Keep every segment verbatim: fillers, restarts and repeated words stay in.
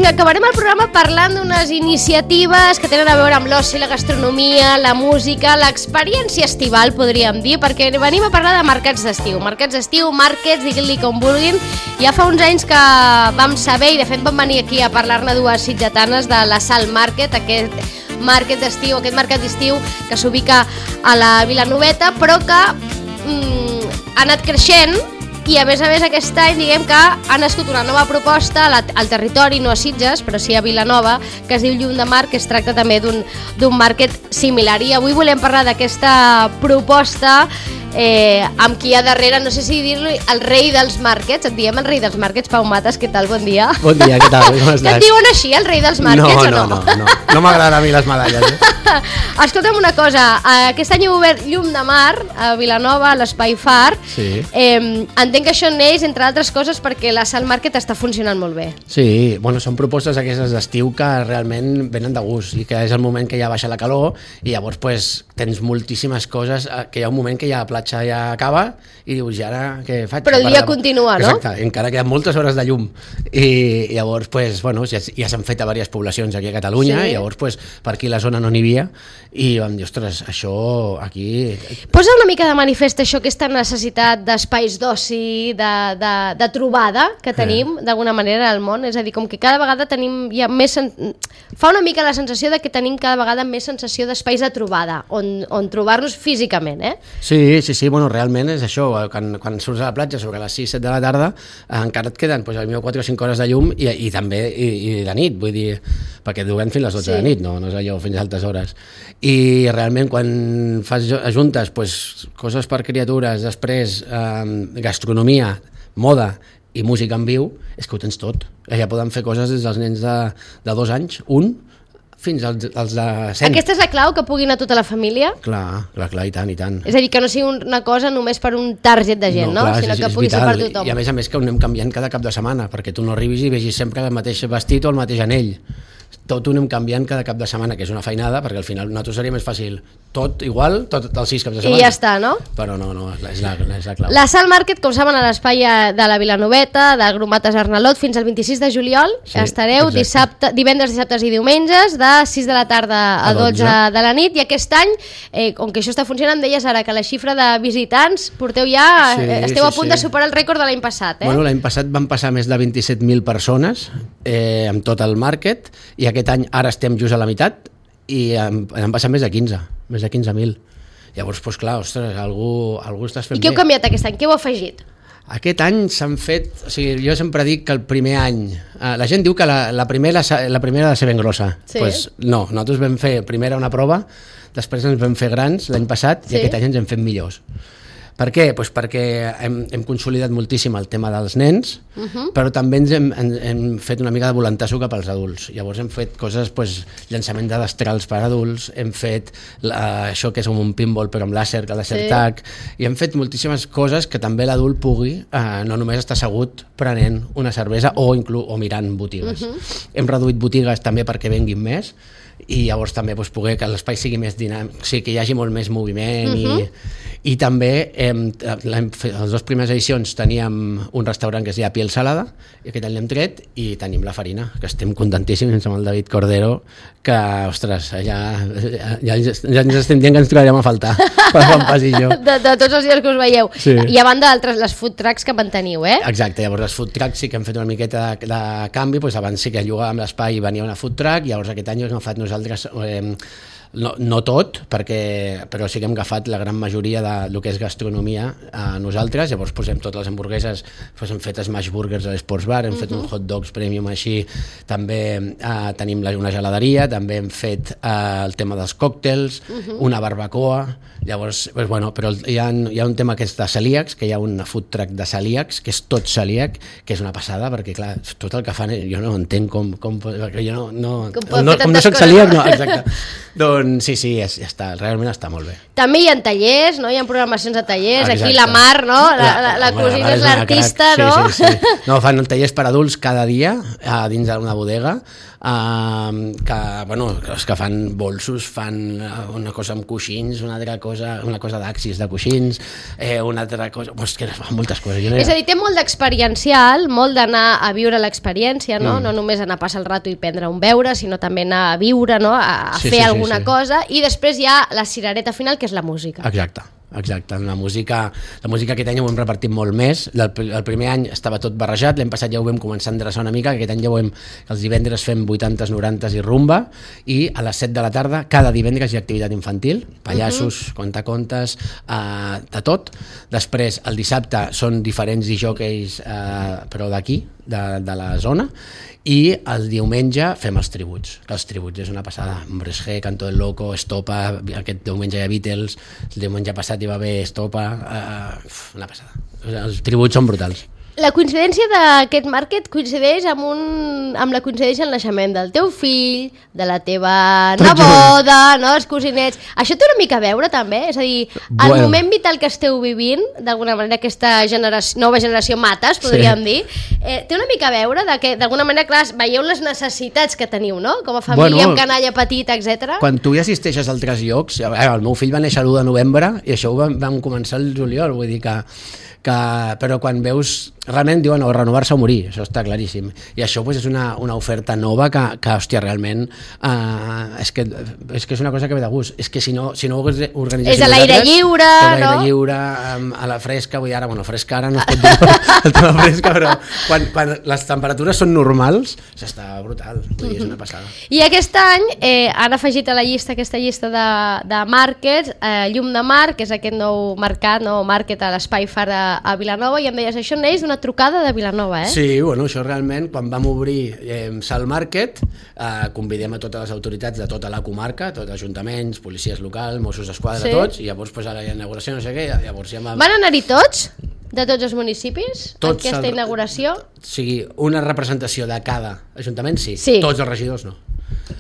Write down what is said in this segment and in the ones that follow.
Vinga, acabarem el programa parlant d'unes iniciatives que tenen a veure amb l'oci, la gastronomia, la música, l'experiència estival, podríem dir, perquè venim a parlar de mercats d'estiu. Mercats d'estiu, markets, diguin-li com vulguin. Ja fa uns anys que vam saber, i de fet vam venir aquí a parlar-ne dues sitgetanes de la Sal Market, aquest market d'estiu, aquest mercat d'estiu que s'ubica a la Vilanoveta, però que mm, ha anat creixent. I a més a més aquest any diguem que ha nascut una nova proposta al territori, no a Sitges, però sí a Vilanova, que es diu Llum de Mar, que es tracta també d'un market similar. I avui volem parlar d'aquesta proposta eh, amb qui hi ha darrere, no sé si dir-li el rei dels markets, et diem el rei dels markets, Pau Matas, què tal, bon dia? Bon dia, què tal, com estàs? Que et diuen així, el rei dels markets, no, o no? No, no, no, no m'agraden a mi les medalles, eh? Escolta'm una cosa, aquest any heu obert Llum de Mar a Vilanova, a l'Espai Far. Sí. Eh, entenc que això neix, entre altres coses, perquè la Sal Market està funcionant molt bé. Sí, bueno, són propostes aquestes d'estiu que realment venen de gust i que és el moment que ja baixa la calor i llavors pues, tens moltíssimes coses, que hi ha un moment que ja la platja ja acaba i dius, ja ara què faig? Però el dia continua, no? Exacte, encara queden moltes hores de llum i llavors pues, bueno, ja, ja s'han fet a diverses poblacions aquí a Catalunya, sí. I llavors pues, per aquí la zona no n'hi havia i vam dir, ostres, això aquí... Posa una mica de manifest això, aquesta necessitat d'espais d'oci, de, de, de trobada que tenim eh. d'alguna manera al món, és a dir, com que cada vegada tenim ja més... Sen... fa una mica la sensació de que tenim cada vegada més sensació d'espais de trobada, on, on trobar-nos físicament, eh? Sí, sí, sí, bueno, realment és això, quan, quan surts a la platja sobre les sis set de la tarda, encara et queden pues, quatre o cinc hores de llum i, i també i, i de nit, vull dir, perquè duguem fins les dotze sí. de nit, no, no és allò fins a altes hores. I realment quan fas juntes pues, coses per criatures, després eh, gastronomia, moda i música en viu, és que ho tens tot. Ja poden fer coses des dels nens de, de dos anys, un, fins als, als de cent. Aquesta és la clau, que pugui anar tota la família? Clar, clar, clar, i tant, i tant. És a dir, que no sigui una cosa només per un target de gent, no? no? Clar, sinó és, que és pugui vital. ser per tothom. I a més a més que ho anem canviant cada cap de setmana, perquè tu no arribis i vegis sempre el mateix vestit o el mateix anell. Tot ho anem canviant cada cap de setmana, que és una feinada, perquè al final nosaltres seria més fàcil tot igual, tot els sis caps de setmana. I ja està, no? Però no, no, és la, és la clau. La Sal Market, com saben, a l'espai de la Vilanoveta, del Gromates Arnalot, fins al vint-i-sis de juliol, sí, estareu dissabte, divendres, dissabtes i diumenges, de sis de la tarda a dotze de la nit, i aquest any, eh, com que això està funcionant, deies ara que la xifra de visitants porteu ja, sí, esteu sí, a punt sí. de superar el rècord de l'any passat, eh? Bueno, l'any passat van passar més de vint-i-set mil persones eh, amb tot el market, i aquest any ara estem just a la meitat i han, han passat més de quinze, més de quinze mil. Llavors, doncs clar, ostres, algú, algú estàs fent bé. I què heu canviat aquest any? Què heu afegit? Aquest any s'han fet... O sigui, jo sempre dic que el primer any... Eh, la gent diu que la, la, primera, la primera ha de ser ben grossa. Sí. Pues no, nosaltres vam fer primera una prova, després ens vam fer grans l'any passat sí. i aquest any ens hem fet millors. Per què? Pues perquè hem, hem consolidat moltíssim el tema dels nens, uh-huh. però també ens hem, hem, hem fet una mica de voluntasso cap als adults. Llavors hem fet coses, pues, llançament de destrals per adults, hem fet la, això que és un pinball però amb làser, que làser sí. tac, i hem fet moltíssimes coses que també l'adult pugui, eh, no només estar assegut prenent una cervesa o, inclús, o mirant botigues. Uh-huh. Hem reduït botigues també perquè venguin més, i llavors també doncs, poder que l'espai sigui més dinàmic, o sigui, que hi hagi molt més moviment uh-huh. i, i també hem, hem fet, les dues primeres edicions teníem un restaurant que es deia Piel Salada i aquest any l'hem tret i tenim la farina, que estem contentíssims amb el David Cordero, que, ostres, ja, ja, ja, ja ens estem dient que ens trobarem a faltar per fer un passillo. De, de tots els dies que us veieu. Sí. I a banda d'altres, les food trucks que manteniu, eh? Exacte, llavors les food trucks sí que hem fet una miqueta de, de canvi, doncs abans sí que llogàvem l'espai i venia una food truck, i llavors aquest any hem agafat nosaltres eh, no, no tot, perquè, però sí que hem agafat la gran majoria de lo que és gastronomia a nosaltres. Llavors posem totes les hamburgueses, doncs hem fet smash burgers a l'Sports Bar, hem uh-huh. fet un hot dogs premium així, també eh, tenim una geladeria, també hem fet eh, el tema dels còctels, uh-huh. una barbacoa. Llavors, doncs, bueno, però hi ha, hi ha un tema que és de celíacs, que hi ha una food truck de celíacs, que és tot celíac, que és una passada, perquè clar, tot el que fan jo no entenc com, com perquè jo no, no, com, no, com no soc celíac, no, exacte. Doncs on, sí, sí, és, està, realment està molt bé. També hi ha tallers, no? Hi ha programacions de tallers. Exacte. Aquí la Mar, no? La, la, la, la cosina és l'artista, no? Sí, sí, sí. No, fan tallers per adults cada dia a dins d'una bodega, Uh, que, bueno, els que fan bolsos fan una cosa amb coixins, una altra cosa, una cosa d'axis de coixins, eh, una altra cosa, pues que fan moltes coses. Jo no és a dir, té molt d'experiencial, molt d'anar a viure l'experiència, no? Mm. No només anar a passar el rato i prendre un beure, sinó també anar a viure, no? A, a sí, fer sí, alguna sí, sí. cosa, i després hi ha la cirereta final, que és la música. Exacte. Exacte, la música, la música aquest any ho hem repartit molt més. El, el primer any estava tot barrejat, l'any passat ja ho vam començar a endreçar una mica, aquest any ja ho hem, els divendres fem vuitantes, norantes i rumba, i a les set de la tarda cada divendres hi ha activitat infantil, pallassos, uh-huh. contacontes, eh, de tot. Després el dissabte són diferents disjòqueis, eh, però d'aquí, de, de la zona, i el diumenge fem els tributs, que els tributs és una passada. Hombres G, Canto del Loco, Estopa, aquest diumenge hi ha Beatles, el diumenge passat hi va haver Estopa, uh, una passada. Els tributs són brutals. La coincidència d'aquest market coincideix amb, un, amb la coincidència en el naixement del teu fill, de la teva neboda, no? Els cosinets. Això té una mica a veure també? És a dir, el bueno. moment vital que esteu vivint, d'alguna manera aquesta generació, nova generació mates, podríem sí. dir, eh, té una mica a veure de que d'alguna manera, clar, veieu les necessitats que teniu, no? Com a família, bueno, amb canalla petita, etcètera. Quan tu hi assisteixes a altres llocs, el meu fill va néixer l'u de novembre i això ho vam, vam començar el juliol, vull dir que que, però quan veus, realment diuen o renovar-se o morir, això està claríssim, i això pues, és una, una oferta nova que, que hòstia, realment uh, és, que, és que és una cosa que ve de gust, és que si no, si no ho organitzéssim és a l'aire lliure, a l'aire no? lliure, a la fresca, vull dir ara, bueno, fresca ara no es pot dir el tema fresca, però quan, quan les temperatures són normals, això està brutal, vull dir, és una passada. I aquest any eh, han afegit a la llista, aquesta llista de, de markets, eh, Llum de Mar, que és aquest nou mercat, nou market a l'Espai Far a a Vilanova, i em deies, això neix d'una trucada de Vilanova, eh? Sí, bueno, això realment, quan vam obrir eh, Salt Market, eh, convidem a totes les autoritats de tota la comarca, tots els ajuntaments, policies locals, Mossos d'Esquadra, sí. tots, i llavors pues, a la inauguració no sé què, llavors ja vam... Van anar-hi tots? De tots els municipis? Tots aquesta el... inauguració? O sigui, una representació de cada ajuntament, sí, sí. Tots els regidors no.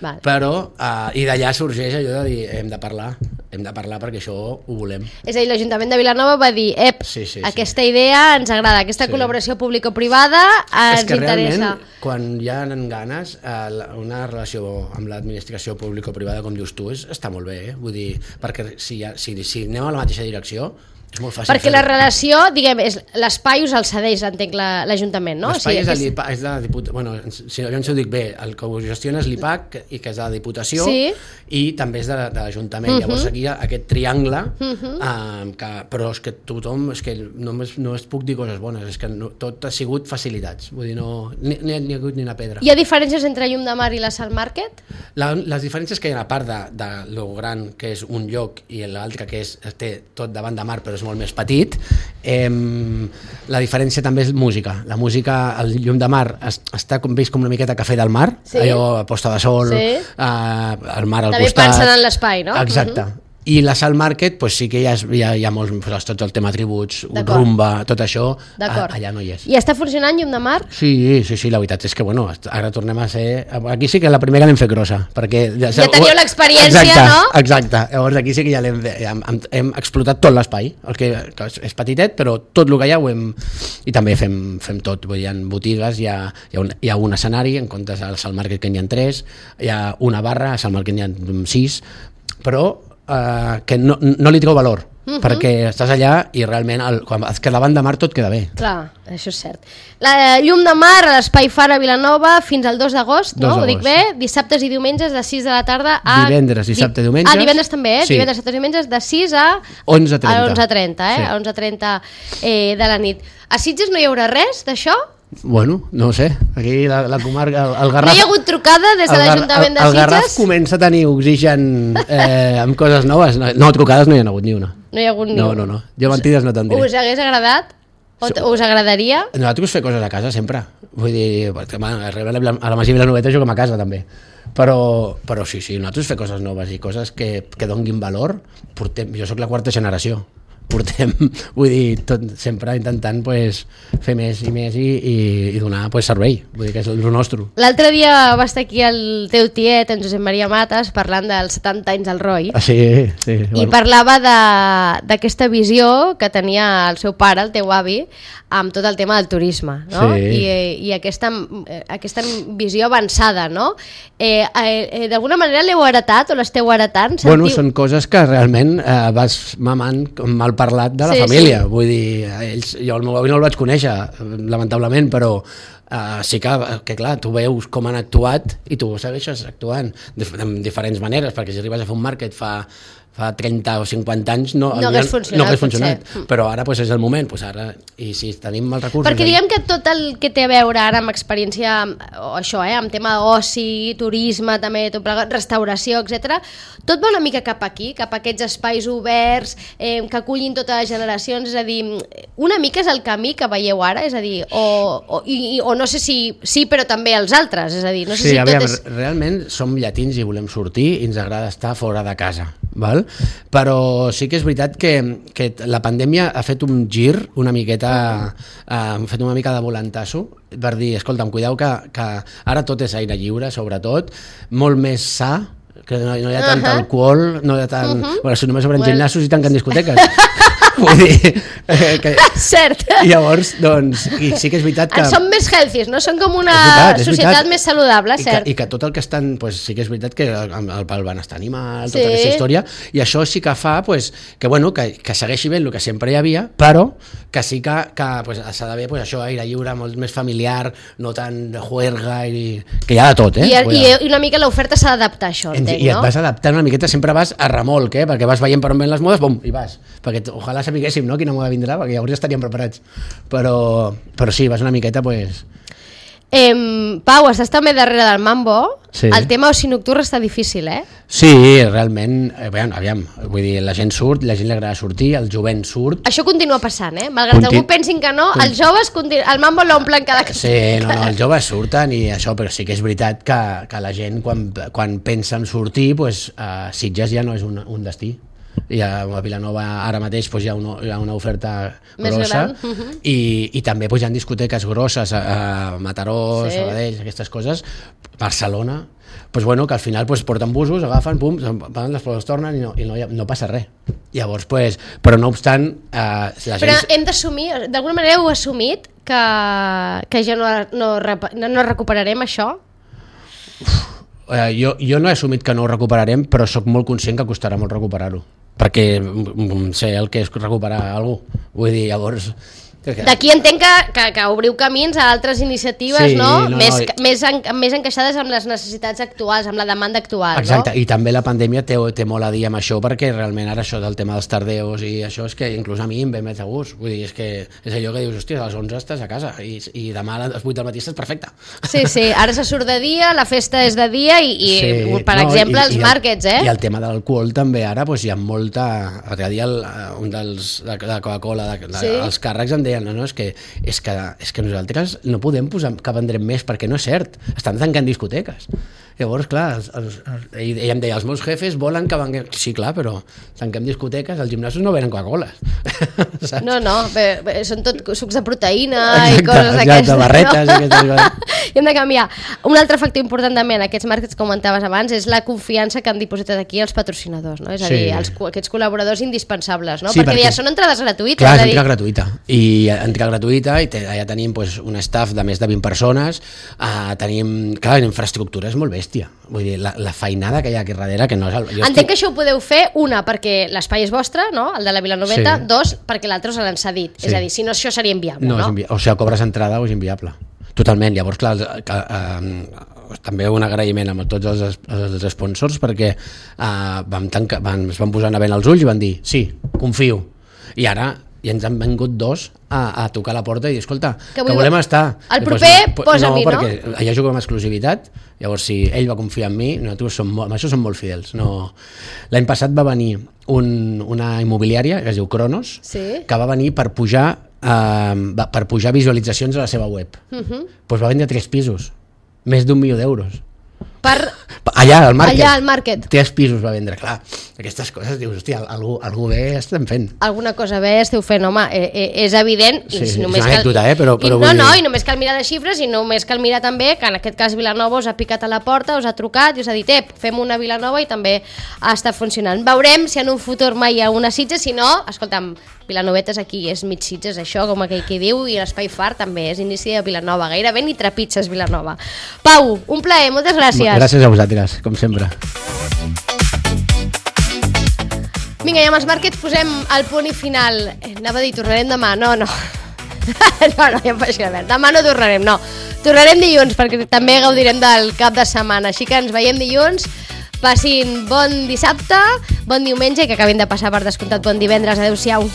Val. Però, uh, i d'allà sorgeix allò de dir, hem de parlar, hem de parlar perquè això ho volem. És a dir, l'Ajuntament de Vilanova va dir, ep, sí, sí, aquesta sí. idea ens agrada, aquesta sí. col·laboració público-privada ens interessa. És que interessa. Realment, quan hi ha ganes, uh, una relació amb l'administració público-privada, com dius tu, és, està molt bé, eh? Vull dir, perquè si, ha, si, si anem a la mateixa direcció, és molt fàcil. Perquè la relació, diguem, és l'espai us el cedeix, entenc, l'Ajuntament, no? L'espai o sigui, és, és de la Diputació, bueno, si no ho dic bé, el que ho gestiona és l'I P A C, i que és de la Diputació, sí. i també és de, de l'Ajuntament. Uh -huh. Llavors aquí hi ha aquest triangle, uh -huh. eh, que, però és que tothom, és que només no es puc dir coses bones, és que no, tot ha sigut facilitats, vull dir, no, ni, ni, ni ha hagut ni una pedra. Hi ha diferències entre Llum de Mar i la Salt Market? La, les diferències que hi ha, a part de, de lo gran que és un lloc i l'altre que és, té tot davant de mar però és molt més petit, eh, la diferència també és música. La música, el Llum de Mar es, està com, vist com una miqueta Cafè del Mar, sí. allò a posta de sol, sí. eh, el mar al també costat. També pensen en l'espai, no? Exacte. Uh -huh. I la Salt Market, pues sí que hi ha, hi ha, hi ha molts, pues, tot el tema tributs, rumba, tot això, a, allà no hi és. I està funcionant Llum de Mar? Sí, sí, sí, la veritat és que, bueno, ara tornem a ser... Aquí sí que la primera l'hem fet grossa, perquè... Ja, ja teniu l'experiència, exacte, no? Exacte, llavors aquí sí que ja l'hem hem, hem, hem explotat tot l'espai, el que, que és petitet, però tot el que hi ha ho hem... I també fem, fem tot, vull dir, hi ha botigues, hi ha, hi ha, un, hi ha un escenari, en comptes al Salt Market que n'hi ha tres, hi ha una barra, al Salt Market n'hi ha sis, però... Uh, que no, no li treu valor, uh -huh. perquè estàs allà i realment el, quan es queda davant de mar tot queda bé. Clar, això és cert. La Llum de Mar a l'Espai Far a Vilanova fins al dos d'agost, no? Ho dic bé? Dissabtes i diumenges de sis de la tarda a... Divendres, dissabte i diumenges. Ah, divendres també, eh? Sí. Divendres, dissabtes i diumenges de sis a... onze trenta. A onze trenta, eh? Sí. A onze trenta eh, de la nit. A Sitges no hi haurà res d'això? Bueno, no ho sé, aquí la, la comarca, el, el Garraf... No hi ha hagut trucada des de l'Ajuntament de Sitges? El Garraf comença a tenir oxigen eh, amb coses noves. No, no, trucades no hi ha hagut ni una. No hi ha hagut ni no, una. No, no, jo mentides no te'n diré. Us hagués agradat? O so, us agradaria? Nosaltres fer coses a casa sempre. Vull dir, perquè, man, a la Masia Vilanoveta juguem a casa també. Però, però sí, sí, nosaltres fer coses noves i coses que, que donguin valor. Portem, jo sóc la quarta generació. portem, vull dir, tot, sempre intentant pues, fer més i més i, i, i donar pues, servei, vull dir que és el nostre. L'altre dia va estar aquí el teu tiet, en Josep Maria Matas, parlant dels setanta anys del Roy. Ah, sí, sí. I bueno. parlava d'aquesta visió que tenia el seu pare, el teu avi, amb tot el tema del turisme, no? Sí. I, i aquesta, aquesta visió avançada, no? Eh, eh, D'alguna manera l'heu heretat o l'esteu heretant? Sentiu... Bueno, són coses que realment eh, vas mamant mal parlat de la sí, família, sí. Vull dir, ells, jo el meu avi no el vaig conèixer, lamentablement, però uh, sí que, que clar, tu veus com han actuat i tu segueixes actuant de, de diferents maneres, perquè si arribes a fer un màrquet fa, fa trenta o cinquanta anys no, no hagués funcionat, no hagués funcionat però ara pues, és el moment, pues, ara, i si tenim els recursos... Perquè diguem que tot el que té a veure ara amb experiència, o això, eh, amb tema d'oci, turisme, també, tot plegat, restauració, etcètera, tot va una mica cap aquí, cap a aquests espais oberts, eh, que acullin totes les generacions, és a dir, una mica és el camí que veieu ara, és a dir, o, o, i, o no sé si sí, però també els altres, és a dir, no sé sí, si aviam, tot és... realment som llatins i volem sortir i ens agrada estar fora de casa, val? Però sí que és veritat que, que la pandèmia ha fet un gir una miqueta, ha fet una mica de volantasso per dir, escolta'm, cuideu que, que ara tot és aire lliure, sobretot, molt més sa, que no, no hi ha tant uh -huh. alcohol, no hi ha tant... Uh -huh. Bueno, si només obren well. gimnasos i tanquen discoteques. Vull dir... Eh, que... Cert. I llavors, doncs, i sí que és veritat que... Som més healthies, no? Són com una és veritat, és societat veritat. més saludable, I cert. que, I que tot el que estan... Pues, sí que és veritat que el, el, el benestar animal, tota sí. aquesta història, i això sí que fa pues, que, bueno, que, que segueixi bé el que sempre hi havia, però que sí que, que pues, s'ha d'haver pues, això, aire lliure, molt més familiar, no tan de juerga, i, que hi ha de tot, eh? I, i, i una mica l'oferta s'ha d'adaptar a això, entenc, I, no? I et vas adaptant una miqueta, sempre vas a remolc, eh? Perquè vas veient per on ven les modes, bum, i vas. Perquè ojalà sapiguéssim, no?, quina moda vindrà, perquè llavors ja estaríem preparats. Però, però sí, vas una miqueta, pues... Eh, Pau, estàs també darrere del mambo. Sí. El tema oci nocturn està difícil, eh? Sí, realment, aviam, aviam, vull dir, la gent surt, la gent li agrada sortir, el jovent surt. Això continua passant, eh? Malgrat Contin... algú pensin que no, els joves, continu... el mambo l'omplen cada... Sí, no, no, els joves surten i això, però sí que és veritat que, que la gent, quan, quan pensa en sortir, pues, uh, Sitges ja no és un, un destí. I a Vilanova ara mateix pues, hi, ha una, hi ha una oferta més grossa gran. Uh-huh. i, i també pues, hi ha discoteques grosses a, a Mataró, sí. Sabadell, aquestes coses, Barcelona, pues, bueno, que al final pues, porten busos, agafen, pum, van, les proves tornen i no, i no, no passa res. Llavors, pues, però no obstant... Eh, la però gent... hem d'assumir, d'alguna manera heu assumit que, que ja no, no, no, no recuperarem això? Uf, eh, jo, jo no he assumit que no ho recuperarem, però sóc molt conscient que costarà molt recuperar-ho, perquè sé el que és recuperar algú, vull dir, llavors... D'aquí entenc que, que, que obriu camins a altres iniciatives, sí, no? no, Més, no. Més, en, més encaixades amb les necessitats actuals, amb la demanda actual. Exacte, no? I també la pandèmia té, té molt a dir amb això, perquè realment ara això del tema dels tardeos i això és que inclús a mi em ve més de gust. Vull dir, és que és allò que dius, hòstia, a les onze estàs a casa i, i demà a les vuit del matí estàs perfecte. Sí, sí, ara se surt de dia, la festa és de dia i, i sí, per no, exemple, i, els i màrquets, eh? I el tema de l'alcohol també ara, doncs hi ha molta... L'altre dia el, un dels de, de Coca-Cola, de, de, sí? els càrrecs em deien, no, no, és que és que, és que nosaltres no podem posar que vendrem més perquè no és cert, estan tancant discoteques. Llavors, clar, els, els, els, ell em deia, els meus jefes volen que venguem... Sí, clar, però tanquem discoteques, els gimnasos no venen Coca-Cola. No, no, bé, bé, són tot sucs de proteïna exacte, i coses d'aquestes. Exacte, barretes no? i aquestes coses. I hem de canviar. Un altre factor important també en aquests màrquets que comentaves abans és la confiança que han dipositat aquí els patrocinadors, no? És a dir, sí. els, aquests col·laboradors indispensables, no? Sí, perquè, perquè ja són entrades gratuïtes. Clar, és dir... entrada gratuïta. I entrada gratuïta, i te, allà tenim pues, un staff de més de vint persones, uh, tenim, clar, la infraestructura és molt bèstia. Vull dir, la, la feinada que hi ha aquí darrere, que no és... El, Entenc estic... que això ho podeu fer, una, perquè l'espai és vostre, no?, el de la Vilanoveta, sí. Dos, perquè l'altre us l'han cedit. Sí. És a dir, si no, això seria inviable, no? no? Invi... O sigui, cobres entrada o és inviable. Totalment. Llavors, clar, que, eh, també un agraïment amb tots els, els sponsors, perquè eh, vam tancar, van, es van posar a vent els ulls i van dir, sí, confio. I ara ja ens han vengut dos a, a tocar la porta i dir, escolta, que, que volem estar. El proper pues, posa-m'hi, no? Perquè allà juguem amb exclusivitat, llavors si ell va confiar en mi, nosaltres som molt, amb això som molt fidels. No... L'any passat va venir un, una immobiliària que es diu Cronos, sí? Que va venir per pujar, eh, per pujar visualitzacions a la seva web. Uh-huh. Pues va vendre tres pisos, més d'un milió d'euros. Per Allà, al market. Allà, al market. Tres pisos va vendre, clar. Aquestes coses, dius, hòstia, algú, algú bé estem fent. Alguna cosa bé esteu fent, home, eh, eh, és evident. Sí, I sí, només és una anècdota, cal... eh, però... però I, no, dir... no, i només cal mirar les xifres i només cal mirar també que en aquest cas Vilanova us ha picat a la porta, us ha trucat i us ha dit, eh, fem una Vilanova i també està funcionant. Veurem si en un futur mai hi ha una Sitges, si no, escolta'm, Vilanovetes aquí és mig Sitges, això, com aquell que diu, i l'Espai Far també és inici de Vilanova, gairebé ni trepitges Vilanova. Pau, un plaer, moltes gràcies. Gràcies a vosaltres, com sempre. Vinga, i amb els Markets posem el punt i final. Anava a dir, tornarem demà, no, no. No, no, ja em faig veure. Demà no tornarem, no. Tornarem dilluns, perquè també gaudirem del cap de setmana, així que ens veiem dilluns. Passin bon dissabte, bon diumenge i que acabin de passar per descomptat bon divendres. Adéu-siau.